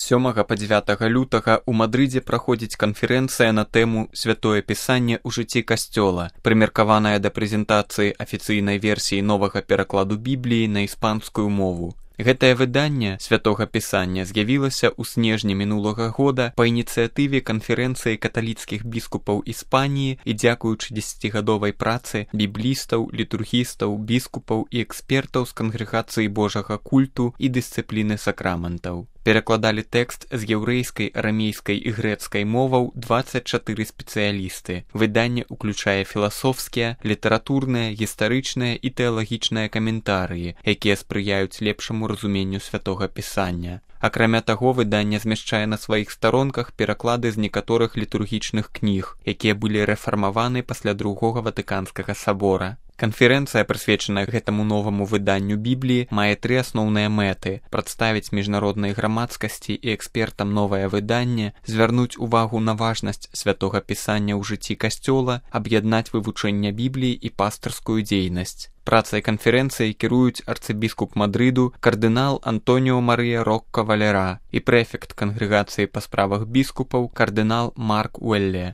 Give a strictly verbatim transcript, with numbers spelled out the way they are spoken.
сёмага па дзевятага лютага ў Мадрыдзе праходзіць канферэнцыя на тэму «Святое Пісанне ў жыцці Касцёла», прымеркаваная да прэзентацыі афіцыйнай версіі новага перакладу Бібліі на іспанскую мову. Гэтае выданне Святога Пісання з'явілася ў снежні мінулага года па ініцыятыве канферэнцыі каталіцкіх біскупаў Іспаніі і дзякуючы дзесяцігадовай працы біблістаў, літургістаў, біскупаў і экспертаў з кангрэгацыі Божага культу і дысцыпліны сакраментаў. Перакладалі тэкст з яўрэйскай, арамейскай і грэцкай моваў дваццаць чатыры спецыялісты. Выданне ўключае філасофскія, літаратурныя, гістарычныя і тэалагічныя каментарыі, якія спрыяюць лепшаму разуменню Святога Пісання. Акрамя таго, выданне змяшчае на сваіх старонках пераклады з некаторых літургічных кніг, якія былі рэфармаваны пасля другога Ватыканскага сабора. Канферэнцыя, прысвечаная гэтаму новаму выданню Бібліі, мае тры асноўныя мэты: прадставіць міжнароднай грамадскасці і экспертам новае выданне, звярнуць увагу на важнасць Святога Пісання ў жыцці Касцёла, аб'яднаць вывучэнне Бібліі і пастырскую дзейнасць. Працай канферэнцыі кіруюць арцыбіскуп Мадрыду кардынал Антоніо Марыя Рокка Валера і прэфект кангрэгацыі па справах біскупаў кардынал Марк Уэлле.